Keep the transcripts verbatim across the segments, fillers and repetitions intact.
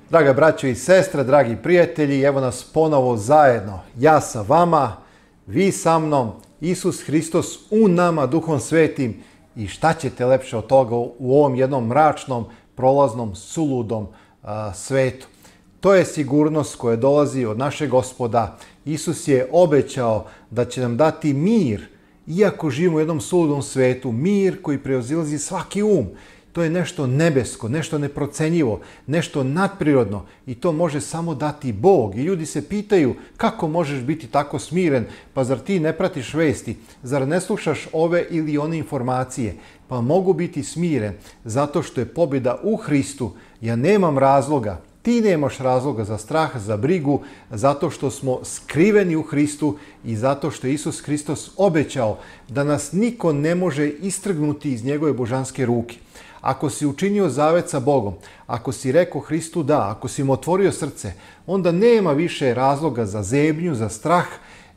Draga braćo i sestre, dragi prijatelji, evo nas ponovo zajedno. Ja sa vama, vi sa mnom, Isus Hristos u nama, Duhom Svetim. I šta ćete lepše od toga u ovom jednom mračnom, prolaznom, suludom a, svetu? To je sigurnost koja dolazi od našeg Gospoda. Isus je obećao da će nam dati mir, iako živimo u jednom suludom svetu, mir koji preozilazi svaki um. To je nešto nebesko, nešto neprocenjivo, nešto nadprirodno i to može samo dati Bog. I ljudi se pitaju kako možeš biti tako smiren, pa zar ti ne pratiš vesti, zar ne slušaš ove ili one informacije? Pa mogu biti smiren zato što je pobjeda u Hristu. Ja nemam razloga, ti nemaš razloga za strah, za brigu, zato što smo skriveni u Hristu i zato što je Isus Hristos obećao da nas niko ne može istrgnuti iz njegove božanske ruke. Ako si učinio zavet sa Bogom, ako si rekao Hristu da, ako si mu otvorio srce, onda nema više razloga za zebnju, za strah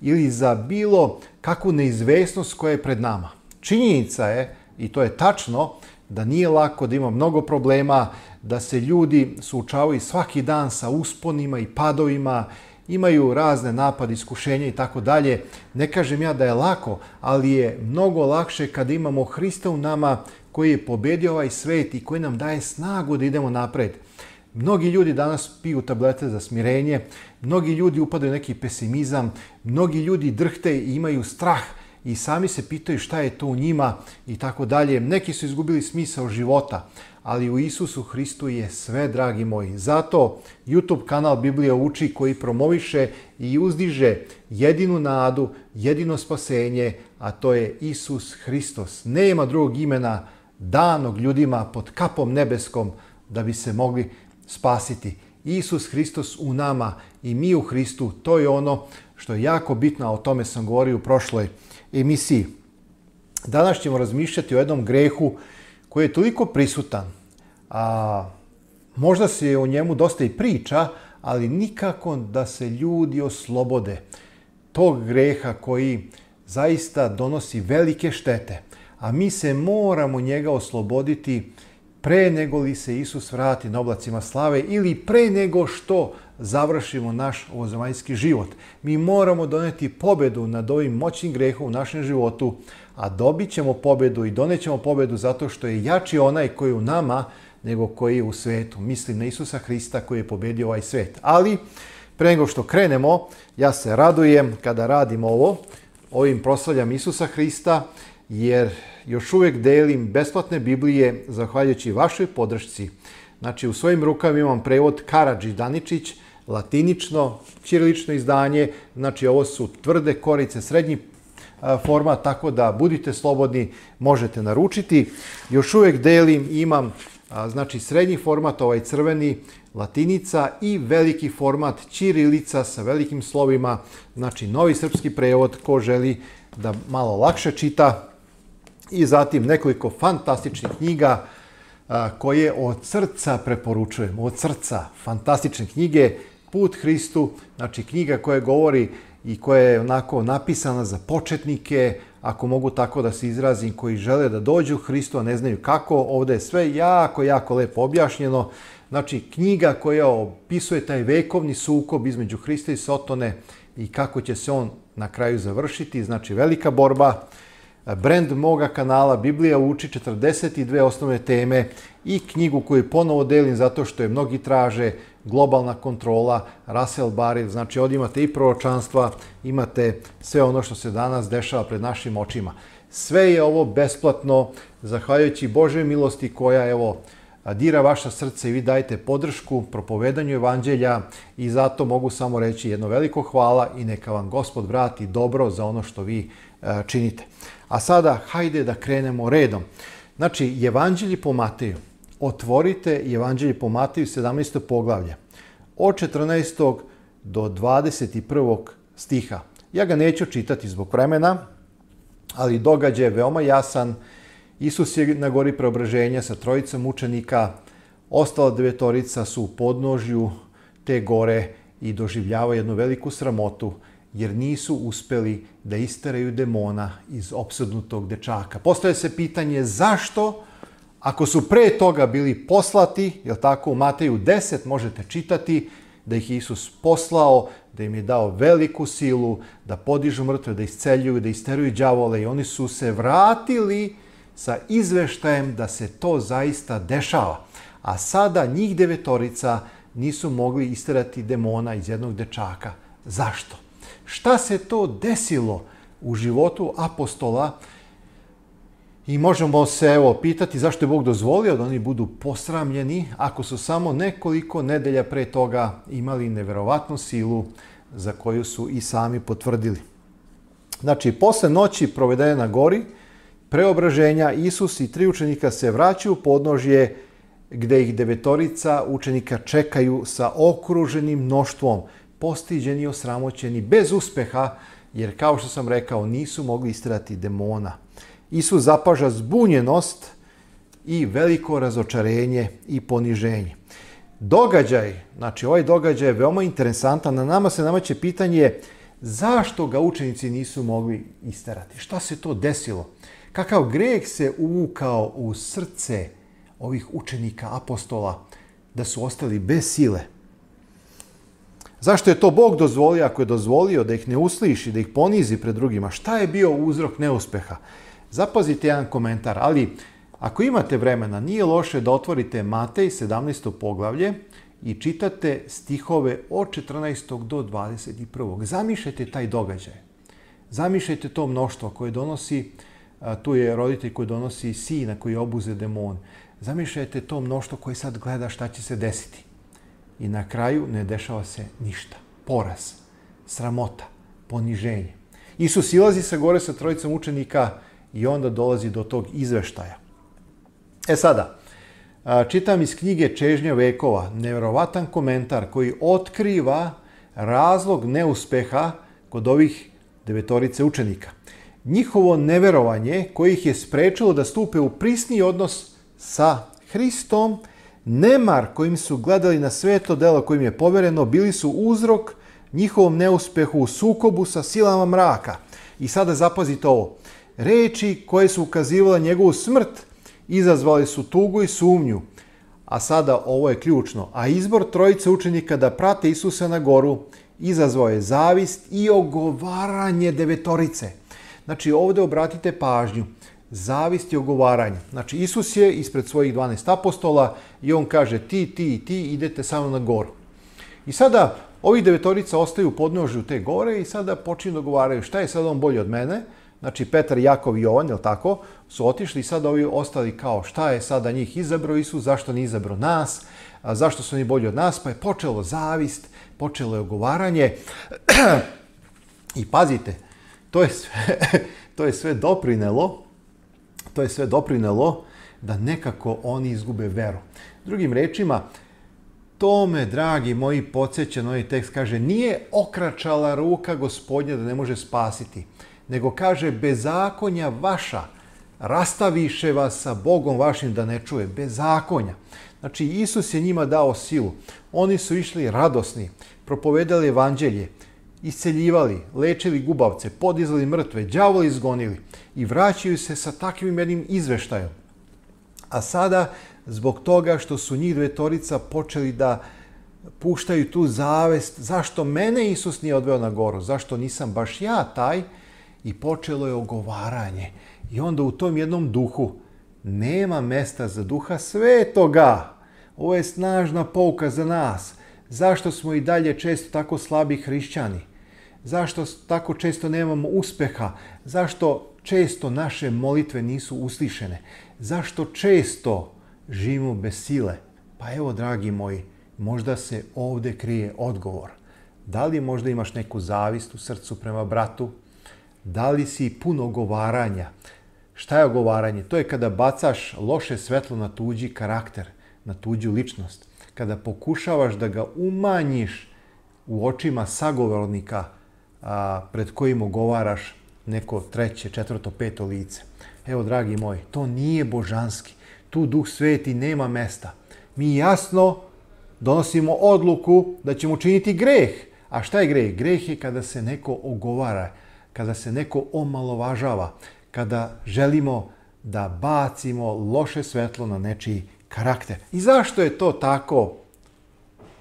ili za bilo kakvu neizvesnost koja je pred nama. Činjenica je, i to je tačno, da nije lako, da ima mnogo problema, da se ljudi suočavaju svaki dan sa usponima i padovima, imaju razne napade, iskušenja i tako dalje. Ne kažem ja da je lako, ali je mnogo lakše kada imamo Hrista u nama koji je pobedio ovaj svet i koji nam daje snagu da idemo napred. Mnogi ljudi danas piju tablete za smirenje, mnogi ljudi upadaju u neki pesimizam, mnogi ljudi drhte i imaju strah i sami se pitaju šta je to u njima i tako dalje. Neki su izgubili smisao života, ali u Isusu Hristu je sve, dragi moji. Zato YouTube kanal Biblija uči koji promoviše i uzdiže jedinu nadu, jedino spasenje, a to je Isus Hristos. Nema drugog imena danog ljudima pod kapom nebeskom da bi se mogli spasiti. Isus Hristos u nama i mi u Hristu, to je ono što je jako bitno, a o tome sam govorio u prošloj emisiji. Danas ćemo razmišljati o jednom grehu koji je toliko prisutan, a možda se o njemu dosta i priča, ali nikako da se ljudi oslobode tog greha koji zaista donosi velike štete, a mi se moramo njega osloboditi pre nego li se Isus vrati na oblacima slave ili pre nego što završimo naš ovozemaljski život. Mi moramo doneti pobedu nad ovim moćnim grehom u našem životu, a dobit ćemo pobedu i donećemo pobedu zato što je jači onaj koji je u nama nego koji je u svetu. Mislim na Isusa Hrista koji je pobedio ovaj svet. Ali pre nego što krenemo, ja se radujem kada radim ovo, ovim proslavljam Isusa Hrista, jer još uvijek delim besplatne Biblije zahvaljujući vašoj podršci. Znači, u svojim rukama imam prevod Karadžić Daničić, latinično, ćirilično izdanje. Znači, ovo su tvrde korice, srednji format, tako da budite slobodni, možete naručiti. Još uvijek delim, imam znači srednji format, ovaj crveni, latinica i veliki format ćirilica sa velikim slovima, znači novi srpski prevod ko želi da malo lakše čita. I zatim nekoliko fantastičnih knjiga a, koje od srca preporučujem. Od srca. Fantastične knjige. Put Hristu. Znači knjiga koja govori i koja je onako napisana za početnike, ako mogu tako da se izrazim, koji žele da dođu Hristu, a ne znaju kako. Ovdje je sve jako, jako lepo objašnjeno. Znači knjiga koja opisuje taj vekovni sukob između Hrista i Sotone i kako će se on na kraju završiti. Znači velika borba. Brand moga kanala Biblija uči, četrdeset dve osnovne teme i knjigu koju ponovo delim zato što je mnogi traže, Globalna kontrola, Russell Barrett. Znači ovdje imate i proročanstva, imate sve ono što se danas dešava pred našim očima. Sve je ovo besplatno, zahvaljujući Božoj milosti koja evo dira vaša srce i vi dajete podršku propovedanju evanđelja i zato mogu samo reći jedno veliko hvala i neka vam Gospod vrati dobro za ono što vi činite. A sada, hajde da krenemo redom. Znači, Evanđelje po Mateju. Otvorite Evanđelje po Mateju, sedamnaesto poglavlje. Od četrnaestog do dvadeset prvog stiha. Ja ga neću čitati zbog vremena, ali događaj je veoma jasan. Isus je na gori preobraženja sa trojicom učenika. Ostala devetorica su u podnožju te gore i doživljavaju jednu veliku sramotu, jer nisu uspeli da isteraju demona iz opsednutog dečaka. Postavlja se pitanje zašto Ako su pre toga bili poslati, jel tako, u Mateju deset možete čitati da ih Isus poslao, da im je dao veliku silu, da podižu mrtve, da isceljuju, da isteruju đavole i oni su se vratili sa izveštajem da se to zaista dešava. A sada njih devetorica nisu mogli isterati demona iz jednog dečaka. Zašto? Šta se to desilo u životu apostola? I možemo se evo pitati zašto je Bog dozvolio da oni budu posramljeni ako su samo nekoliko nedelja pre toga imali neverovatnu silu za koju su i sami potvrdili. Znači, posle noći provedene na gori, preobraženja, Isus i tri učenika se vraćaju u podnožje gde ih devetorica učenika čekaju sa okruženim mnoštvom, postiđeni i osramoćeni, bez uspeha, jer kao što sam rekao, nisu mogli isterati demona. Isus zapaža zbunjenost i veliko razočarenje i poniženje. Događaj, znači ovaj događaj je veoma interesantan, na nama se nameće pitanje zašto ga učenici nisu mogli isterati. Šta se to desilo? Kakav greh se uvukao u srce ovih učenika, apostola, da su ostali bez sile? Zašto je to Bog dozvolio, ako je dozvolio da ih ne usliši, da ih ponizi pred drugima? Šta je bio uzrok neuspeha? Zapazite jedan komentar, ali ako imate vremena, nije loše da otvorite Matej sedamnaesto poglavlje i čitate stihove od četrnaestog do dvadeset prvog. Zamišljajte taj događaj. Zamišljajte to mnoštvo koje donosi, tu je roditelj koji donosi sina koji obuze demon. Zamišljajte to mnoštvo koje sad gleda šta će se desiti. I na kraju ne dešava se ništa. Poraz, sramota, poniženje. Isus silazi sa gore sa trojicom učenika i onda dolazi do tog izveštaja. E sada, čitam iz knjige Čežnja vekova, neverovatan komentar koji otkriva razlog neuspeha kod ovih devetorice učenika. Njihovo neverovanje koje ih je sprečilo da stupe u prisni odnos sa Hristom, nemar kojim su gledali na sveto delo kojim je povereno, bili su uzrok njihovom neuspehu u sukobu sa silama mraka. I sada zapazite ovo. Reči koje su ukazivale njegovu smrt izazvali su tugu i sumnju. A sada ovo je ključno. A izbor trojice učenika da prate Isusa na goru izazvao je zavist i ogovaranje devetorice. Znači ovdje obratite pažnju. Zavist i ogovaranje. Znači Isus je ispred svojih dvanaest apostola i on kaže ti, ti i ti idete samo na goru. I sada ovih devetorica ostaju u podnožju te gore i sada počinju dogovaraju šta je sad on bolji od mene. Znači Petar, Jakov i Jovan, jel tako, su otišli i sad ovi ostali kao šta je sada njih izabrao Isus, zašto nije izabrao nas, a zašto su oni bolji od nas, pa je počelo zavist, počelo je ogovaranje. I pazite, to je sve, to je sve doprinelo, to je sve doprinelo da nekako oni izgube veru. Drugim rečima, to me, dragi moji, podsjeća na ovaj tekst, kaže, nije okračala ruka Gospodnja da ne može spasiti, nego kaže, bezakonja vaša rastaviše vas sa Bogom vašim da ne čuje. Bezakonja. Znači, Isus je njima dao silu. Oni su išli radosni, propovedali evanđelje, isceljivali, lečili gubavce, podizali mrtve, đavole izgonili i vraćaju se sa takvim jednim izveštajom. A sada, zbog toga što su njih devetorica počeli da puštaju tu zavest, zašto mene Isus nije odveo na goru, zašto nisam baš ja taj, i počelo je ogovaranje. I onda u tom jednom duhu nema mesta za Duha Svetoga. Ovo je snažna pouka za nas. Zašto smo i dalje često tako slabi hrišćani? Zašto tako često nemamo uspeha? Zašto često naše molitve nisu uslišene? Zašto često živimo bez sile? Pa evo, dragi moji, možda se ovdje krije odgovor. Da li možda imaš neku zavist u srcu prema bratu? Da li si puno ogovaranja? Šta je ogovaranje? To je kada bacaš loše svetlo na tuđi karakter, na tuđu ličnost. Kada pokušavaš da ga umanjiš u očima sagovornika a, pred kojim ogovaraš neko treće, četvrto, peto lice. Evo, dragi moji, to nije božanski. Tu Duh Sveti nema mesta. Mi jasno donosimo odluku da ćemo učiniti greh. A šta je greh? Greh je kada se neko ogovara, kada se neko omalovažava, kada želimo da bacimo loše svetlo na nečiji karakter. I zašto je to tako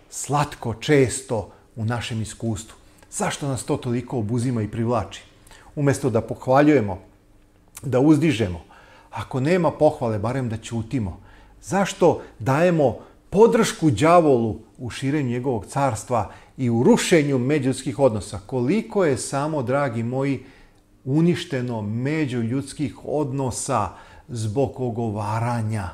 slatko, često u našem iskustvu? Zašto nas to toliko obuzima i privlači? Umjesto da pohvaljujemo, da uzdižemo, ako nema pohvale, barem da ćutimo. Zašto dajemo podršku đavolu u širenju njegovog carstva i u rušenju međuljudskih odnosa? Koliko je samo, dragi moji, uništeno međuljudskih odnosa zbog ogovaranja?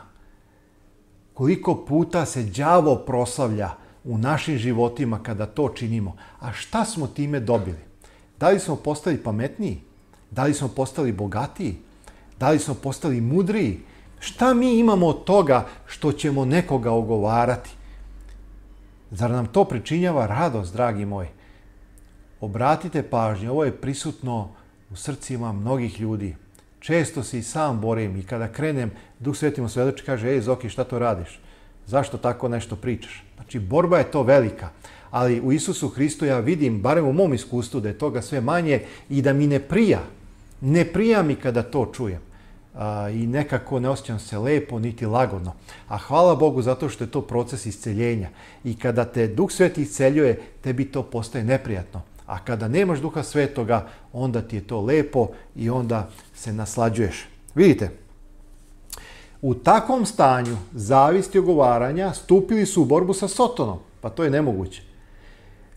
Koliko puta se đavo proslavlja u našim životima kada to činimo? A šta smo time dobili? Da li smo postali pametniji? Da li smo postali bogatiji? Da li smo postali mudriji? Šta mi imamo od toga što ćemo nekoga ogovarati? Zar nam to pričinjava radost, dragi moji? Obratite pažnju, ovo je prisutno u srcima mnogih ljudi. Često se i sam borim i kada krenem, Duh Sveti mu svedoči, kaže, ej Zoki, šta to radiš? Zašto tako nešto pričaš? Znači, borba je to velika. Ali u Isusu Hristu ja vidim, barem u mom iskustvu, da je toga sve manje i da mi ne prija. Ne prija mi kada to čujem. A, I nekako ne osjećam se lepo, niti lagodno. A hvala Bogu zato što je to proces isceljenja. I kada te Duh Sveti isceljuje, tebi to postaje neprijatno. A kada nemaš Duha Svetoga, onda ti je to lepo i onda se naslađuješ. Vidite, u takvom stanju zavisti i ogovaranja stupili su u borbu sa Sotonom. Pa to je nemoguće.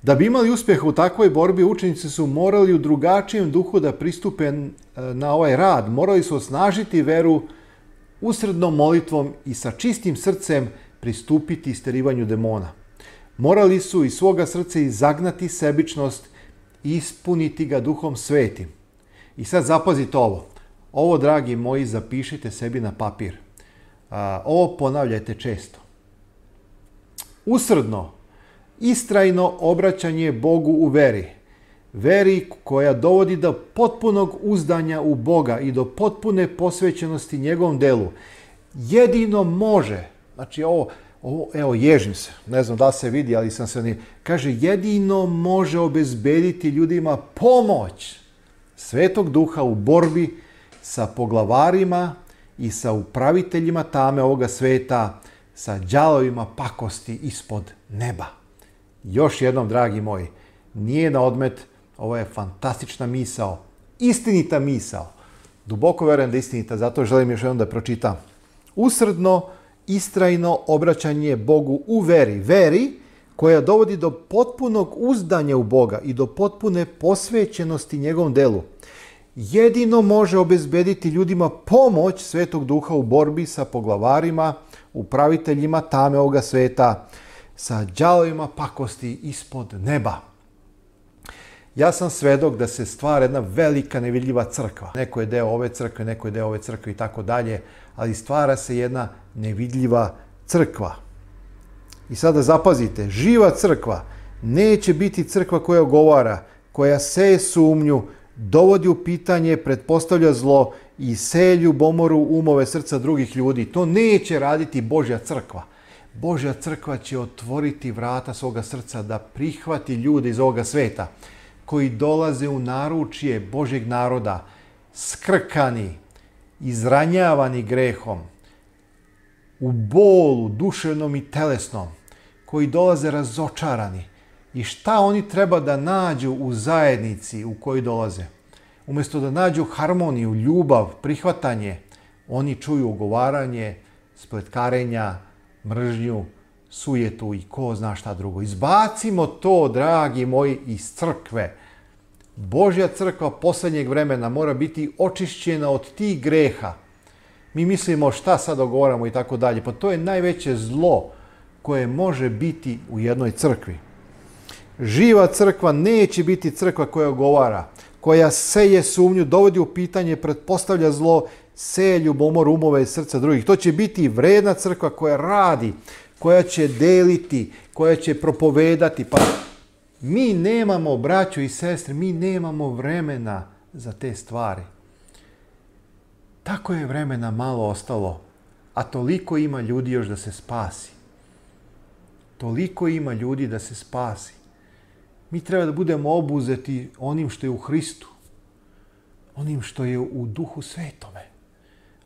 Da bi imali uspjeha u takvoj borbi, učenici su morali u drugačijem duhu da pristupe na ovaj rad. Morali su osnažiti veru usrednom molitvom i sa čistim srcem pristupiti isterivanju demona. Morali su iz svoga srca izagnati sebičnost i ispuniti ga Duhom Svetim. I sad zapazite ovo. Ovo, dragi moji, zapišite sebi na papir. Ovo ponavljajte često. Usredno, istrajno obraćanje Bogu u veri. Veri koja dovodi do potpunog uzdanja u Boga i do potpune posvećenosti njegovom delu. Jedino može, znači ovo, ovo evo ježim se, ne znam da li se vidi, ali sam se ne... Kaže, jedino može obezbediti ljudima pomoć Svetog Duha u borbi sa poglavarima i sa upraviteljima tame ovoga sveta, sa đalovima pakosti ispod neba. Još jednom, dragi moji, nije na odmet, ovo je fantastična misao, istinita misao. Duboko verujem da je istinita, zato želim još jednom da pročitam. Usredno, istrajno obraćanje Bogu u veri. Veri koja dovodi do potpunog uzdanja u Boga i do potpune posvećenosti njegovom delu. Jedino može obezbediti ljudima pomoć Svetog Duha u borbi sa poglavarima, upraviteljima tame ovoga sveta, sa đalovima pakosti ispod neba. Ja sam svedok da se stvara jedna velika nevidljiva crkva. Neko je deo ove crkve, neko je deo ove crkve i tako dalje, ali stvara se jedna nevidljiva crkva. I sada zapazite, živa crkva neće biti crkva koja ogovara, koja seje sumnju, dovodi u pitanje, pretpostavlja zlo i seje ljubomoru umove srca drugih ljudi. To neće raditi Božja crkva. Božja crkva će otvoriti vrata svoga srca da prihvati ljude iz ovoga sveta koji dolaze u naručje Božjeg naroda, skrkani, izranjavani grehom, u bolu, duševnom i telesnom, koji dolaze razočarani. I šta oni treba da nađu u zajednici u kojoj dolaze? Umjesto da nađu harmoniju, ljubav, prihvatanje, oni čuju ogovaranje, spletkarenja, mržnju, sujetu i ko zna šta drugo. Izbacimo to, dragi moji, iz crkve. Božja crkva posljednjeg vremena mora biti očišćena od tih greha. Mi mislimo šta sad ogovaramo i tako dalje. Pa to je najveće zlo koje može biti u jednoj crkvi. Živa crkva neće biti crkva koja ogovara, koja seje sumnju, dovodi u pitanje, pretpostavlja zlo, seje ljubomor umove i srca drugih. To će biti vredna crkva koja radi, koja će deliti, koja će propovedati. Pa mi nemamo, braćo i sestre, mi nemamo vremena za te stvari. Tako je vremena malo ostalo, a toliko ima ljudi još da se spasi. Toliko ima ljudi da se spasi. Mi treba da budemo obuzeti onim što je u Hristu, onim što je u Duhu Svetome,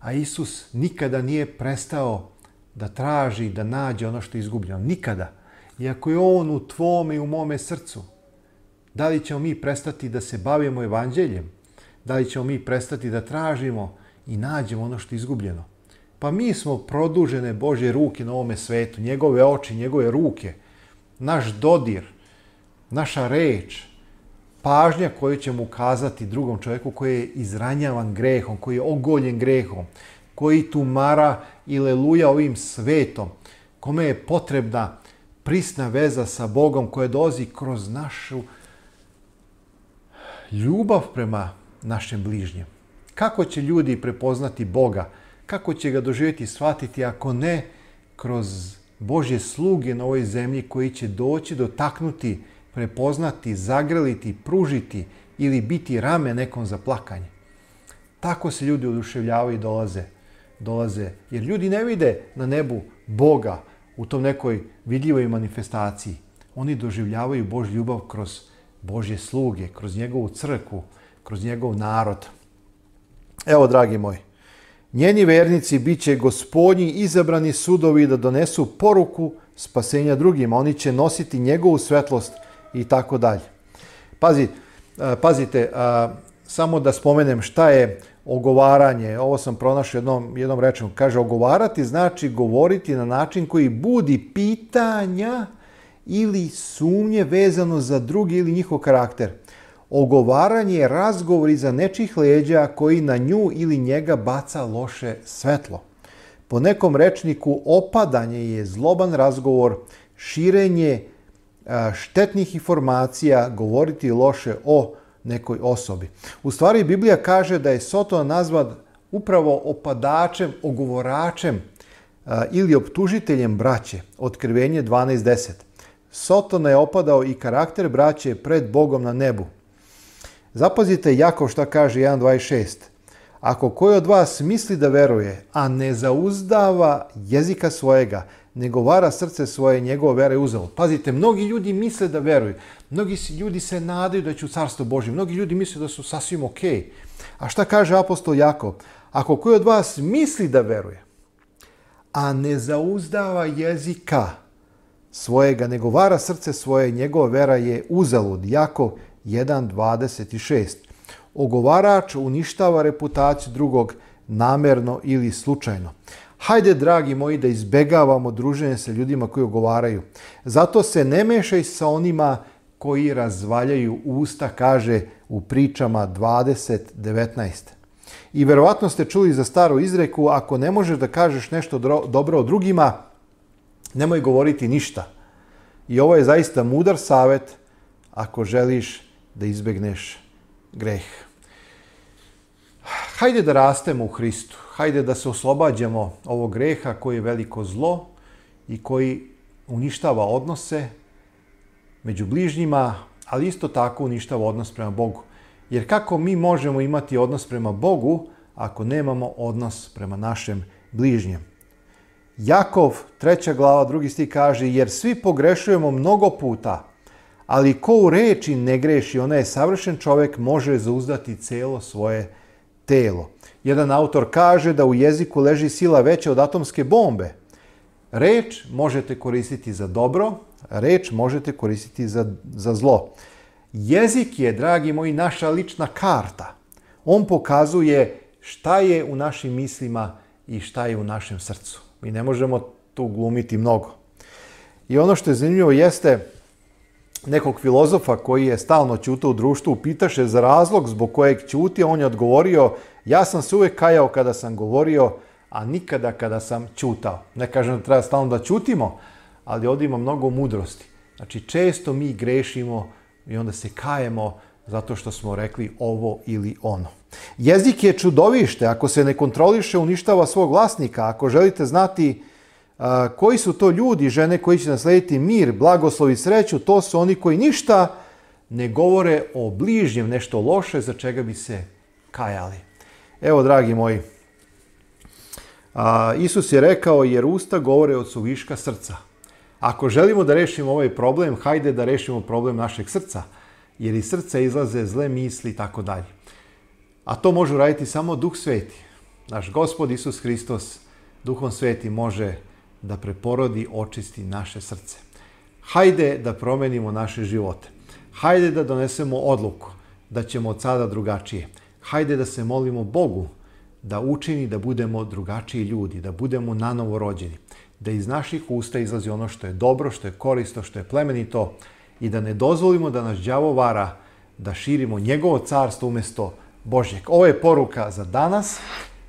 A Isus nikada nije prestao da traži, da nađe ono što je izgubljeno. Nikada. Iako je On u tvome i u mome srcu. Da li ćemo mi prestati da se bavimo evanđeljem? Da li ćemo mi prestati da tražimo i nađemo ono što je izgubljeno? Pa mi smo produžene Božje ruke na ovome svetu. Njegove oči, njegove ruke. Naš dodir, naša reč, pažnja koju ćemo ukazati drugom čovjeku koji je izranjavan grehom, koji je ogoljen grehom, koji tumara i leluja ovim svetom, kome je potrebna prisna veza sa Bogom koja dolazi kroz našu ljubav prema našem bližnjem. Kako će ljudi prepoznati Boga? Kako će ga doživjeti i shvatiti ako ne kroz Božje sluge na ovoj zemlji koji će doći, dotaknuti, prepoznati, zagrliti, pružiti ili biti rame nekom za plakanje. Tako se ljudi oduševljavaju i dolaze. dolaze. Jer ljudi ne vide na nebu Boga u tom nekoj vidljivoj manifestaciji. Oni doživljavaju Božju ljubav kroz Božje sluge, kroz njegovu crkvu, kroz njegov narod. Evo, dragi moji, njeni vernici bit će gospodnji izabrani sudovi da donesu poruku spasenja drugima. Oni će nositi njegovu svetlost i tako dalje. Pazi, pazite, samo da spomenem šta je ogovaranje. Ovo sam pronašao jednom, jednom rečom. Kaže, ogovarati znači govoriti na način koji budi pitanja ili sumnje vezano za drugi ili njihov karakter. Ogovaranje je razgovor iza nečih leđa koji na nju ili njega baca loše svetlo. Po nekom rečniku opadanje je zloban razgovor, širenje štetnih informacija, govoriti loše o nekoj osobi. U stvari, Biblija kaže da je Soton nazvan upravo opadačem, ogovoračem ili optužiteljem braće. Otkrivenje dvanaest deset. Sotona je opadao i karakter braće pred Bogom na nebu. Zapazite Jakov šta kaže jedan dvadeset šest. Ako koji od vas misli da veruje, a ne zauzdava jezika svojega, nego vara srce svoje, njegova vera je uzalud. Pazite, mnogi ljudi misle da veruju. Mnogi ljudi se nadaju da će u carstvo Božje. Mnogi ljudi misle da su sasvim ok. A šta kaže apostol Jakov? Ako koji od vas misli da veruje, a ne zauzdava jezika svojega, nego vara srce svoje, njegova vera je uzalud. Jakov jedan dvadeset šest. Ogovarač uništava reputaciju drugog namerno ili slučajno. Hajde, dragi moji, da izbegavamo druženje sa ljudima koji ogovaraju. Zato se ne mešaj sa onima koji razvaljaju usta, kaže u pričama dvadeset devetnaest. I verovatno ste čuli za staru izreku, ako ne možeš da kažeš nešto dobro o drugima, nemoj govoriti ništa. I ovo je zaista mudar savjet ako želiš da izbegneš greh. Hajde da rastemo u Hristu. Hajde da se oslobađamo ovog greha koji je veliko zlo i koji uništava odnose među bližnjima, ali isto tako uništava odnos prema Bogu. Jer kako mi možemo imati odnos prema Bogu ako nemamo odnos prema našem bližnjem? Jakov, treća glava, drugi stih kaže, jer svi pogrešujemo mnogo puta, ali ko u reči ne greši, onaj je savršen čovjek, može zauzdati celo svoje telo. Jedan autor kaže da u jeziku leži sila veća od atomske bombe. Reč možete koristiti za dobro, reč možete koristiti za, za zlo. Jezik je, dragi moji, naša lična karta. On pokazuje šta je u našim mislima i šta je u našem srcu. Mi ne možemo tu glumiti mnogo. I ono što je zanimljivo jeste nekog filozofa koji je stalno ćutao u društvu, pitaše za razlog zbog kojeg ćuti, on je odgovorio, ja sam se uvijek kajao kada sam govorio, a nikada kada sam ćutao. Ne kažem da treba stalno da ćutimo, ali ovdje ima mnogo mudrosti. Znači, često mi grešimo i onda se kajemo zato što smo rekli ovo ili ono. Jezik je čudovište, ako se ne kontroliše, uništava svog vlasnika. Ako želite znati a, koji su to ljudi, žene koji će naslediti mir, blagoslov i sreću, to su oni koji ništa ne govore o bližnjem, nešto loše za čega bi se kajali. Evo, dragi moji, a, Isus je rekao, jer usta govore od suviška srca. Ako želimo da rešimo ovaj problem, hajde da rešimo problem našeg srca, jer iz srca izlaze zle misli i tako dalje. A to može uraditi samo Duh Sveti. naš Gospod Isus Hristos, Duhom Svetim može da preporodi, očisti naše srce. Hajde da promenimo naše živote. Hajde da donesemo odluku da ćemo od sada drugačije. Hajde da se molimo Bogu da učini da budemo drugačiji ljudi, da budemo nanovo rođeni, da iz naših usta izlazi ono što je dobro, što je korisno, što je plemenito i da ne dozvolimo da nas đavo vara, da širimo njegovo carstvo umjesto Božjeg. Ovo je poruka za danas.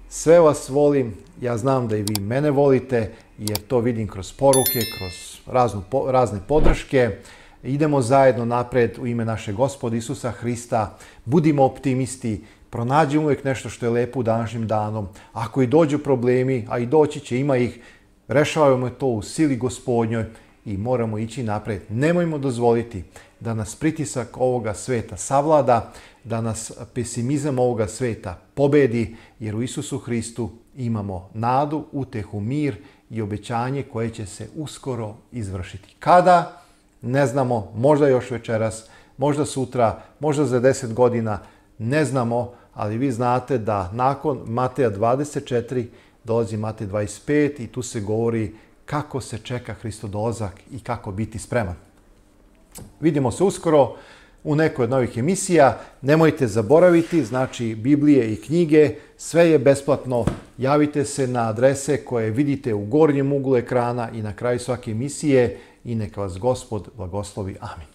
Sve vas volim. Ja znam da i vi mene volite, jer to vidim kroz poruke, kroz raznu, razne podrške. Idemo zajedno napred u ime našeg Gospoda Isusa Hrista. Budimo optimisti. Pronađimo uvijek nešto što je lepo u današnjim danom. Ako i dođu problemi, a i doći će, ima ih, rešavamo to u sili Gospodnjoj i moramo ići napred. Nemojmo dozvoliti da nas pritisak ovoga sveta savlada, da nas pesimizam ovoga sveta pobedi, jer u Isusu Hristu imamo nadu, utehu, mir i obećanje koje će se uskoro izvršiti. Kada? Ne znamo, možda još večeras, možda sutra, možda za deset godina, ne znamo, ali vi znate da nakon Mateja dvadeset četiri dolazi Matej dvadeset pet i tu se govori kako se čeka Hristov dolazak i kako biti spreman. Vidimo se uskoro u nekoj od novih emisija. Nemojte zaboraviti, znači Biblije i knjige, sve je besplatno. Javite se na adrese koje vidite u gornjem uglu ekrana i na kraju svake emisije i neka vas Gospod blagoslovi. Amin.